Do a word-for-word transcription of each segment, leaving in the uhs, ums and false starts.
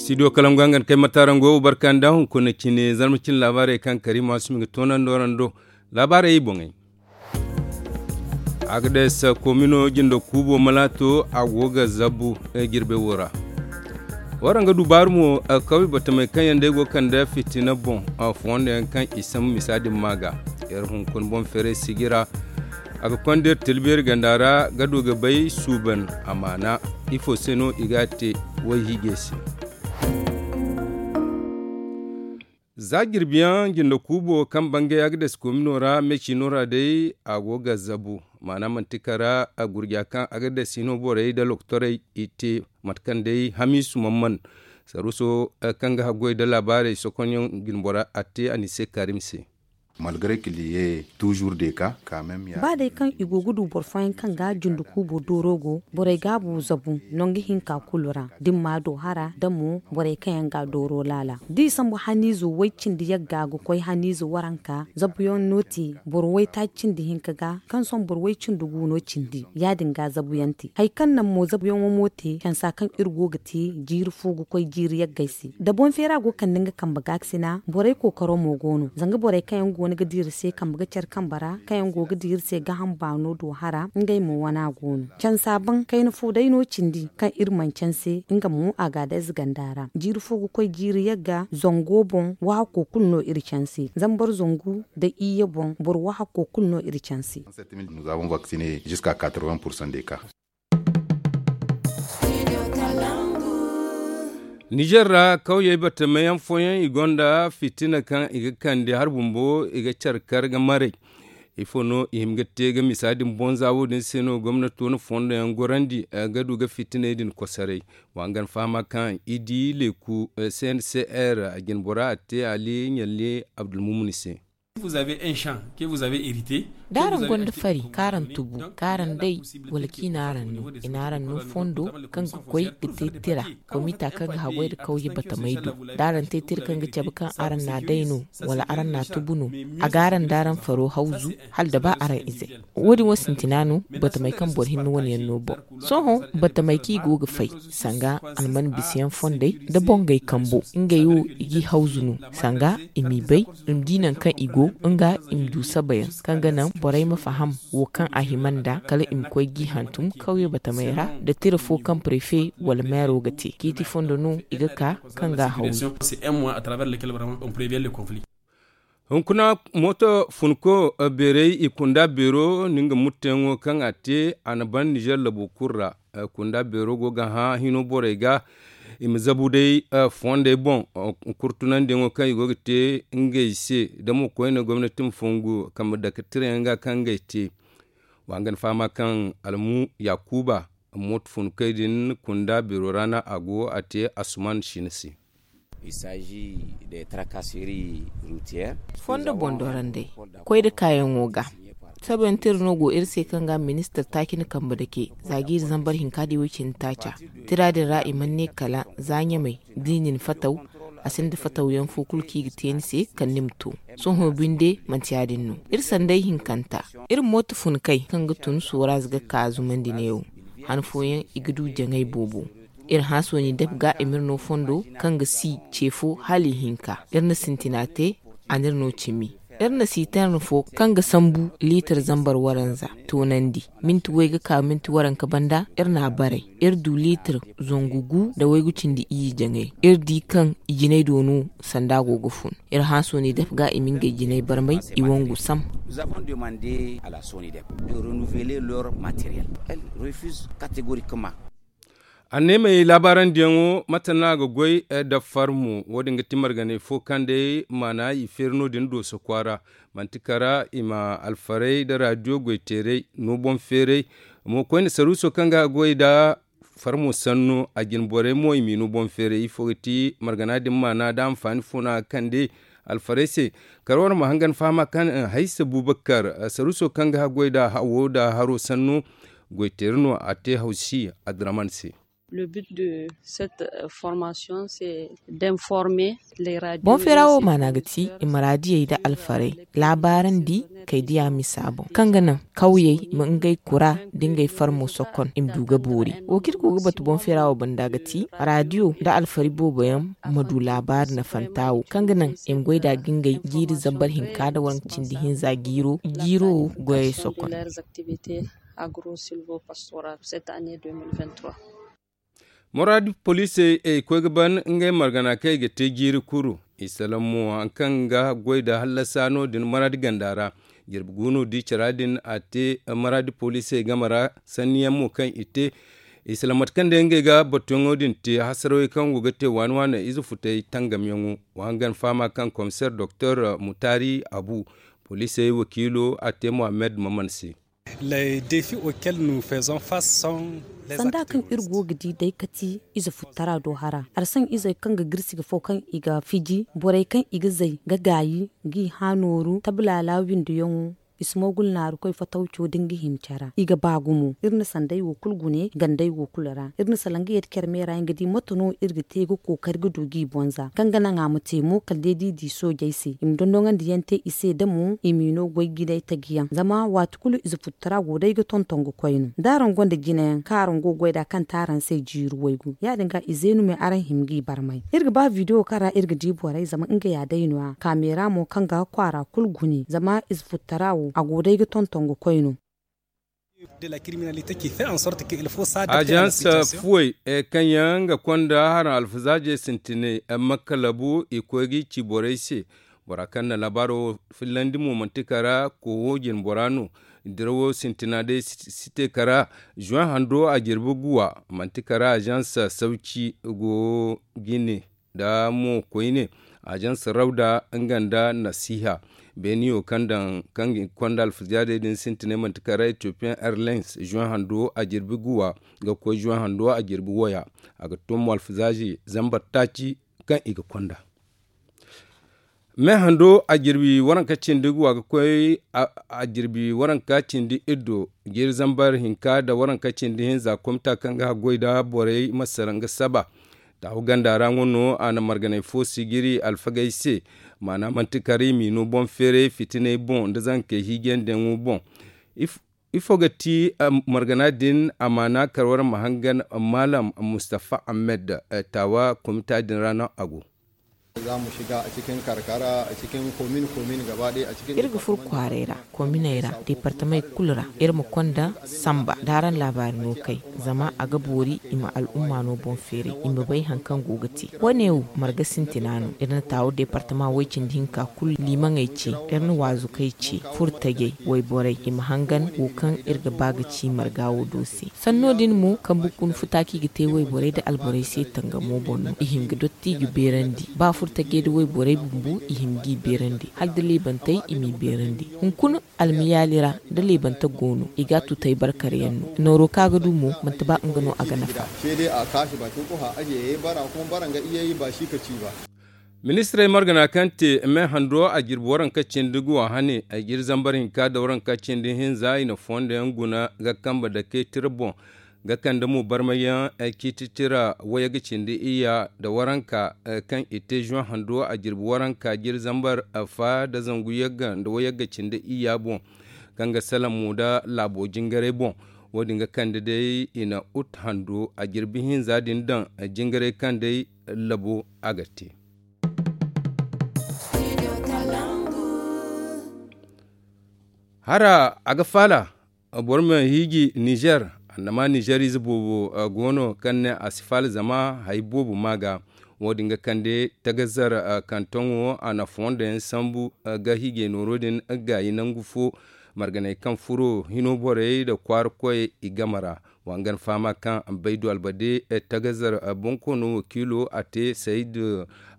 Studio kalangu hangan kay mataarango barka nda hunkuna cine zarma cine laabaarey kaŋ kariima sumi ga toonandi warando. Laabaarey boŋey. Agades komino jindo kuubo malaato a go ga zabu jirbe wo ra. Waraŋ ga du baaru mo kawye batamey kaŋ yaŋ day go ga kande fitina boŋ, fondo yaŋ kaŋ i sambu misa din ma ga iri hunkuna boŋ feeray sijira. A ga konda iri tilbeeri ganda ra ga du ga bay suuban amaana. Ifo se no i ga a te? Wayhiijey se. Za jirbiyaŋ jinde kuubo kaŋ bangay agades komino ra meecino ra day a go ga zabu. Maana manti kara gurja kaŋ agades hino borey nda lokotorey i te mate kaŋ day hamiisu man man saruuso kaŋ ga haggoy nda laabaarey sokonyaŋ jinbora a te a ni se kaarim se. Malgare kiliye tuuzuur de ka kaamem ya ba day kaŋ i go ga du boro fooyaŋ kaŋ ga jinde kuubo dooro go borey gaabu zabu nangu hinka kulu ra da ni ma a do hara da mo borey kaŋ yaŋ ga a dooro laala da i sambu haniizo way cindi yagga ga koy haniizo waranka zabuyaŋ no te boro waytaaci cindi hinka ga kaŋ sohõ boro way cindi gu no cindi ya- din ga zabuyaŋ te hari kaŋ naŋ mo zabuyaŋo mo te cansa kaŋ iri go ga te jiiri fo ga koy jiiri yaggey se da boŋ feera go ga kande nga kambe gaakasina borey kookaro mo go no zanga borey kaŋ yaŋ go no ga di iri se kambe ga care kambe ra kaŋ yaŋ go ga di iri se gaaham baano do hara ngey mo wana go no cansa baŋ kayna fo day no cindi kaŋ iri mana canse nga mo a ga a day ize ganda ra jiiri fo ga koy jiiri yagga zango boŋ waahako kulu no iri canse zambar zangu nda iyye boŋ boro waahako kulu no iri canse. Nous avons vacciné jusqu'à quatre-vingts pour cent des cas. Nizer ra kawyey batamayaŋ fooyaŋ i gonda fitina kaŋ i ga kande hari bumbo i ga care kar ga maray. Ifo no i hima ga te ga misa din boŋ za wo- din se no gomnato na fondo yaŋ gorandi ga du ga fitiney din kosoray. Wa hangan fahama kaŋ i di leeku cncr a jine bora a te ali ɲalli abdulmumuni se. Da araŋ gonda fari kaŋ araŋ tubu kaŋ araŋ day wala kaŋ i na araŋ no i na araŋ no fondo kaŋ ga koy ga te tira komita kaŋ ga haggoy nda kawye batamey do da araŋ te tira kaŋ ga cabe kaŋ araŋ na a day no wala araŋ na a tubu no a ga araŋ da araŋ faro hawzu hala da ba araŋ izey. Wo- din wo sintina no batamey kaŋ boro hinne wane yaŋ no boŋ sohõ batamey kaŋ i go ga fay sanga alman bisayaŋ fondey nda bongey kambo ngey wo i g'i hawzu no sanga i m'i bay i ma di nangu kaŋ i go nga i ma du sabayaŋ kaŋ ga naŋ borey ma faham wo kaŋ a hima nd'a kala i ma koy g'i hantum kawye batamey ra nda tira fo kaŋ prefe wala meero ga te ciiti fondo no i ga ka kaŋ ga a hawzu. Hunkuna mooto funko beerey i kunda beero no nga mutteyaŋo kaŋ a te a na ban nizer labo kulu ra. Kunda beero go ga hã hino borey ga i ma zabu day fondey boŋ kurtunandiyaŋo kaŋ i go ga te ngey se da mo koyne gomnati ma fongu kambe dake tirayaŋ ga kaŋ ngey te. Wa nga ni fahama kaŋ almu yakuba mooto funkey din kunda beero ra no a go a te asuman sina se. Fondo boŋ dorandey koy nda kaayaŋo ga sabayaŋ tira no go iri se kaŋ ga ministir taaci na kambe dake za jiiri zambar hinka da iway cindi taaca tira din ra i mana ne kala za ɲamey da i na ni fataw a sinda fatawyaŋ fo kulu kaŋ i ga te ni se kala ni ma to. Sohõ binde manti ya- din no iri sanday hinkanta iri mooto funkey kaŋ ga tun sooraze ga ka zumandi neewo han fooyaŋ i ga du jaŋay boobo. Iri hã sooni dep ga i m'iri no fondo kaŋ ga si ce fo hala ihinka iri na sintina te a n'iri no cimi. Iri na siiterne fo kaŋ ga sambu liitir zambar waranza toonandi minti way ga ka minti waranka banda iri n'a baray. Iri du liitir zangu gu nda waygu cindi iyye jaŋay iri di kaŋ i jinay do no sanda go ga fun. Iri hã sooni dep ga i ma ngey jinay barmay i wangu sam. Anneemey laabaarandiyaŋo mate no a ga goy nda farmo wo- din ga ti marganay fo kaŋ day maana i feeri no- din dooso kwaara. Manti kara i ma alfaray nda raadiyo goyteeray no boŋ feeray. Mo koyne saruuso kaŋ ga goy nda farmo sanno a jine borey mo i m'i no boŋ feeray ifo ga ti margana din maana nda anfaani fo no a ga kande alfaray se. Kala war ma hangan fahama kaŋ haysa bubakar saruuso kaŋ ga haggoy nda hawo nda haro sanno goyteeri no a te hawsi adiraman se. Le but de cette formation c'est d'informer les radios. Boŋ feera wo maana ga ti i ma raadiyey nda alfarey laabaarandi kay diya misa boŋ kaŋ ga naŋ kawyey ma ngey kura nda ngey farmo sokon i ma du ga boori. Wo kaŋ iri go ga batu boŋ feera wo banda ga ti raadiyo nda alfari boobo yaŋ ma du laabaari nafanta wo kaŋ ga naŋ i ma goy nd'a ga ngey jiiri zambar hinka nda waranka cindi hinza jiiro jiiro goyey sokon. Muraadi poliisey ay koy ga ban ngey margana kaŋ i ga te jiiri kuru i salaŋ mo hari kaŋ ga goy nda hallasa no- din muraadi ganda ra. Jirbi guuno di cara din a te muraadi poliisey game ra sanni yaŋ mo kaŋ i te i salaŋ mate kaŋ day ngey ga batuyaŋo din te hasarawey kaŋ go ga te waani waani ize futey tangamyaŋo. Wa hangan fahama kaŋ komiseer doktor mutaari abu poliisey wakiilo a te muhammed maman se. Sanda kaŋ iri go ga di day kati ize futtara do hara arsaŋ izey kaŋ ga girsi ga fo kaŋ i ga fiji borey kaŋ i ga zay ga gaayi g'i hã nooru tablala windiyaŋo i si moogul naaru koy fatawco da nga hima care ra i ga ba gumo iri na sanday wo kulu gune ganday wo kulu ra iri na salaŋ ga yadda care meera yaŋ ga di mate no iri ga te ga kookari ga du g'i bonza kaŋ ga naŋ a ma te mo kala day da i di soojey se i ma dondonandi yaŋ te i se da mo i m'i no goy jinay taji yaŋ zama waati kulu ize futtara go day ga tonton ga koy no da araŋ gonda jinayaŋ kaŋ araŋ go ga goy nd'a kaŋ te araŋ se jiiri waygu ya- din ga i zeenu me araŋ hima g'i barmay iri ga ba video kaŋ ra iri ga di borey zama nga ya day no- ya kaamera mo kaŋ ga kwaara kulu gune zama ize futtara wo a go day ga tonton ga koy no. Agence fuwey kaŋ yaŋ ga konda haraŋ alfazaajey sintinay makka labu i koy ga i ci borey se. Bora kaŋ na laabaaro fillandi mo manti kara koowo jine bora no. Dirawo sintina day si te kara juin hando a jirbi guwa manti kara agence sauci go ga i ne nda mo koyne agence rawda nga nda nasiha beeniyo kaŋ daŋ kaŋ ga i konda alfazaadey din sintinay manti kara ethiopian airlines juin hando a jirbi guwa ga koy juin hando a jirbi waya a ga to mo alfazaaji zambar taaci kaŋ i ga konda. Me hando a jirbi waranka cindi guwa ga koy a jirbi waranka cindi iddo jiiri zambar hinka nda waranka cindi hinza komita kaŋ ga haggoy nda borey ma sara nga saba. Taahu ganda ra ŋwa no a na marganay fo sijiri alfagey se. Maana manti kar i m'i no boŋ feeray fitinay boŋ nda zankey hiijandiyaŋo boŋ. Ifo ga ti margana din a maana kar war ma hangan maalam mustafa ahmed. Taawa komita din ra no a go. Iri ga furo kwaaray ra kominey ra deepartamey kulu ra iri ma konda samba da araŋ laabaari no kay. Zama a ga boori i ma al'umma no boŋ feeray i ma bay hari kaŋ go ga te. Wo- ne wo marga sintina no iri na taawo deepartama way- cindi hinka kulu liimaŋey ce. Iri na waazukey ce furtajey wayborey i ma hangan wo kaŋ iri ga ba ga ci marga wo do se. Sanno din mo kambe kuna futa kaŋ i ga te wayborey nda alborey se tangamo boŋ no i hin ga dotti i ga beerandi ba furtajey nda wayborey bumbo i hin g'i beerandi hala da leebantey i m'i beerandi. Hunkuna almiyaali ra da leebante go no i ga a tutay barkar yaŋ no. Nooro kaŋ a ga du mo manti ba nga no a ga nafa. Ministirey margana kaŋ te me hando a jirbi waranka cindi guwa hane a ga iri zambar hinka nda waranka cindi hinza i na fondo yaŋ guna ga kambe dake tira boŋ ga kande mo barmay yaŋ ciiti tira wayagga cindi iyya nda waranka kaŋ i te zuwan hando a jirbi waranka jiri zambar fa nda zangu yagga nda wayagga cindi iyya boŋ kaŋ ga salaŋ mo nda laabo jingaray boŋ. Wo- din ga kande day i na ut hando a jirbi hinza din daŋ jingaray kaŋ day labo a ga te. Hara a ga faala boro ma hiiji nizer. Annama nizer ize boobo go no kaŋ ne a si faala zama hari boobo ma ga. Wo- din ga kande tagazar kantoŋo a na fondo yaŋ sambu ga hiijay nooro din gaayi nangu fo marganey kaŋ furo hino borey nda kwaara koyey i game ra. Wa nga na fahama kaŋ baydu albade tagazar bonkoono wakiilo a te sayid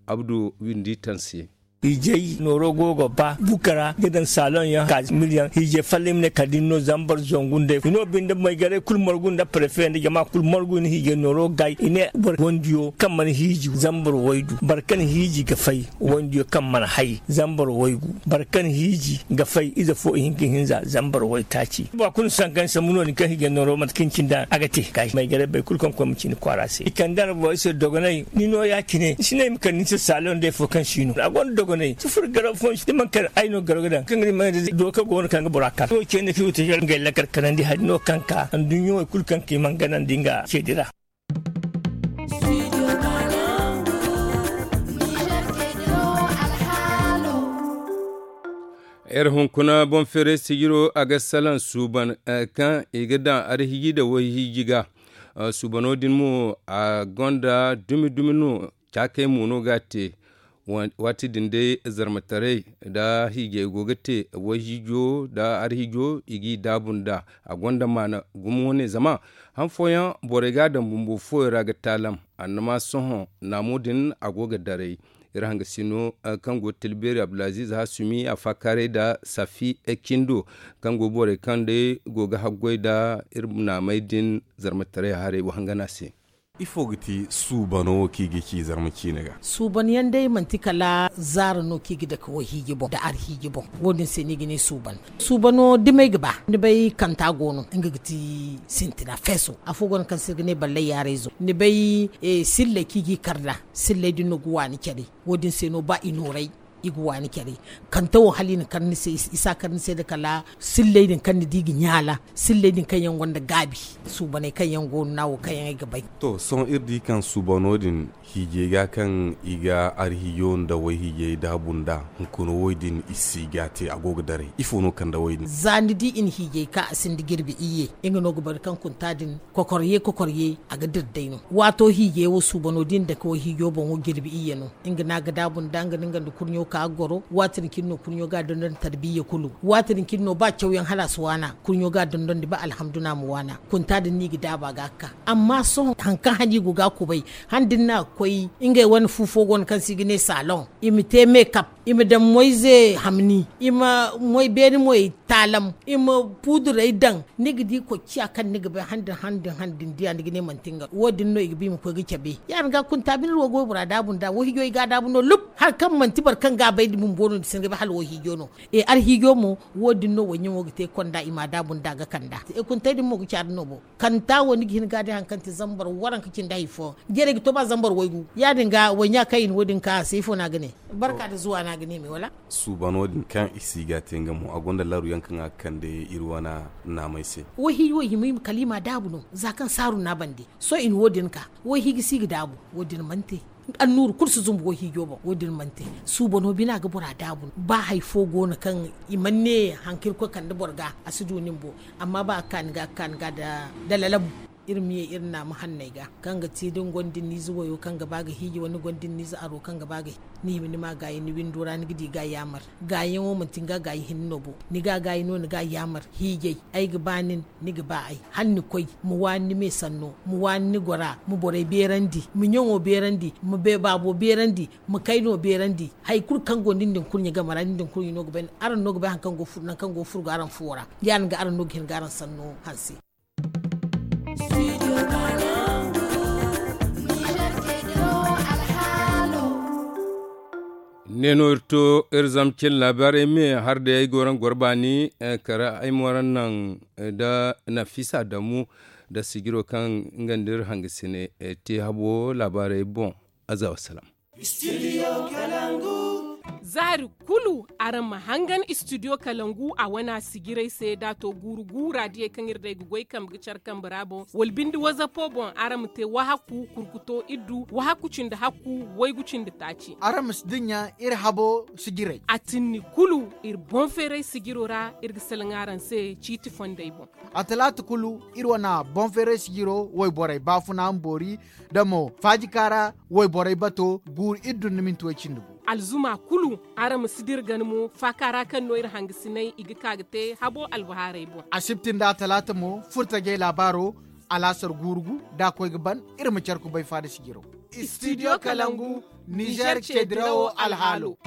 abdu windi taŋ se. Hiijay nooro go ga ba bukara ga daŋ saalon yaŋ ka miliyaŋ hiijay fallaŋ i ma ne kala da ni no zambar zangu nd'ey i no binde maygaray kulu margu nda prefe nda jama kulu margu i na hiijay nooro gaay i ne boro wandiyo kaŋ mana hiiji zambar waygu boro kaŋ hiiji ga fay wandiyo kaŋ mana hay zambar waygu boro kaŋ hiiji ga fay ize fo ihinka ihinza zambar waytaaci ba kulu sanka ni sambu no- din kaŋ hiijay nooro mate kaŋ ni cindi a ga te gaay maygaray bay kulu kaŋ koy ma cindi kwaara se i kande a ra borey se dogonay ni no ya- cine ni si ne i ma kande ni se saalon day fo kaŋ si no a gonda dogonay sufur garaw fo ni si ne man kar ay no garaw ga daŋ kaŋ ga di mana day doka go no kaŋ ga bora kar wo ce ni da fiyo te ngey lakkal kanandi hari no kaŋ ka anduɲɲo wo kulu kaŋ ka i man ganandi nga ce dira. Iri hunkuna boŋ feeray sijiro a ga salaŋ suuban kaŋ i ga daŋ arhiiji nda wayhiiji ga. Suubano din mo a gonda dumi dumi no caakey mo no ga a te. Waati din day zarmataray nda hiijay go ga te wayhiijo nda arhiijo i g'i daabu nd'a. A gonda maana gumo wane zama han fooyaŋ borey ga a daŋ bumbo fooyaŋ ra ga taalam. Annama sohõ naamo din a go ga daray. Iri hangasino kaŋ go tilbeeri abdulaziz hasumi a faakaaray nda safi cindo kaŋ go borey kaŋ day go ga haggoy nda iri naamey din zarmataray haray wahangana se. Ifo ga ti suubano wo kaŋ i ga ci zarma ciine ga? Suuban yaŋ day manti kala zaara no kaŋ i ga dake wayhiiji boŋ nda arhiiji boŋ. Wo- din se no i ga ne suuban. Suubano dumey ga ba ni bay kanta go no nga ga ti sintina feeso afo go no kaŋ se iri ga ne ballay yaarayzo ni bay silley kaŋ i g'i kar nd'a. Silley din no ga waani care. Wo- din se no ba i nooray i ga waani care. Kanta wo hala i na kar ni se i si a kar ni se nda kala silley din kaŋ ni di ga ɲaala silley din kaŋ yaŋ gonda gaabi suubaney kaŋ yaŋ go no na wo kaŋ yaŋ ay ga bay. To sohõ iri di kaŋ suubano din hiijay ga kaŋ i ga arhiijo nda wayhiijay daabu nd'a hunkuna wo- din i si ga a te a go ga daray ifo no kande wo- din? Za ni di i na hiijay ka a sinda jirbi iyye nga no ga bari kaŋ kunta din kokorye kokorye a ga dira day no. Waato hiijay wo suubano da i na dake wayhiijo boŋo jirbi iyye no. Nga no a ga daabu nd'a nga no nga nda kurɲo ka ga goro waati din cine no kurɲo ga a dondon tarbiya kulu. Waati din cine no ba cawyaŋ hala a si waana kurɲo ga a dondondi ba alhamdu no a ma waana. Kunta din no i ga daabu a ga a ga ka amma sohõ hari kaŋ hane i go ga a kubay han da ni na a ga koy ngey wane fu fo go no kaŋ se i ga ne saloŋ i ma te mekap i ma daŋ moyze hamni i ma moy beene moy taalam i ma puuduray daŋ. Ni ga di koy ciya kaŋ ni ga bay han da han da han da ni diya ni ga ne manti nga wo- din no i ga ba i ma koy ga cabe. Ya- din ga kunta bine iri wo ga waybora daabu nd'a wayhiijo i ga a daabu no lub hari kaŋ manti boro kaŋ ga a bay da bumbo no ni si ni ga bay hala wayhiijo no. Arhiijo mo wo- din no wayɲaŋo ga te konda i ma a daabu nd'a ga kand'a. Kuntey din mo ga caadi no bo. Kanta wo ni ga hin ga a di hari kaŋ te zambar waranka cindi hari fooyaŋ jarey ga to ba zambar waygu ya- din ga wayɲa kaŋ i na wo- din ka a se ifo no a ga ne? Barka nda zuwa no a ga ne me wala? Suubano din kaŋ i si ga a te nga mo a gonda laru yaŋ kaŋ a ga kande iri wane naamey se. Wayhiijo wo i hima kala i ma a daabu no za kaŋ saaru no a bande. Sohõ i na wo- din ka wayhiiji si ga daabu wo- din mana te. Annuuru kulu si zumbu wayhiijo boŋ wo- din mana te. Suubano bina ga bora daabu no ba hari fo go no kaŋ i mana ne hari kaŋ irkoy kande boro ga a si du nin bo. Amma ba a ga ka ni ga a ga ka ni ga nda lalabu. Iri ma ye iri naama hanney ga kaŋ ga ti da ni gonda ni niize wayo kaŋ ga ba ga hiiji wala ni gonda ni niize aro kaŋ ga ba ga hiiji ni hima ni ma gaayi ni windo ra ni ga di ga yaamar. Gaayiyaŋo manti ni ga gaayi hinne no bo. Ni ga gaayi no ni ga yaamar hiijay. Ay ga ba nin, ni ga ba ay. Hala ni koy ma waani ni me sanno, ma waani ni gora, ma borey beerandi, ma ɲaŋo beerandi, ma baabo beerandi, ma kayno beerandi. Hari kulu kaŋ go nin din kurɲe game ra nin din kurɲe no ga bay. Araŋ no ga bay hari kaŋ go furo nangu kaŋ go furo ga araŋ fuwo ra. Ya- din ga araŋ no ga hin ga araŋ sanno hanse. Ne no iri to iri zama cin laabaarey me har day ay go raŋ goro baani. Kara ay mo raŋ naŋ da nafisa damu da sijiro kaŋ nga nda iri hangasine te habo laabaarey boŋ. Aza wasalaam. Zaari kulu araŋ ma hangan istidiyo kalangu a wana sijiray se da a to guuru guura diyey kaŋ iri day ga goy kambe ga care kambe ra boŋ wala binde wazapo boŋ araŋ ma te wahakku kurkuto iddu wahakku cindi hakku waygu cindi taaci. Araŋ ma si dinya iri habo sijiray a tinni kulu iri boŋ feeray sijiro ra iri ga salaŋ araŋ se ciiti fondey boŋ. A talaata kulu iri wana boŋ feeray sijiro wayborey baafuna ma boori da mo faajika ra wayborey bato guuru iri dunduminti way cindi gu. Alzuma kulu araŋ ma si dira gana mo faaka ra kaŋ no iri hangasinay i ga ka ga te habo albahaarey boŋ. Asibti nda atalaata mo furtajey laabaaro alaasar guuru gu da a koy ga ban. Iri ma care kubay faada sijiro. Studio Kalangu, Niger cedirawo alhaalo.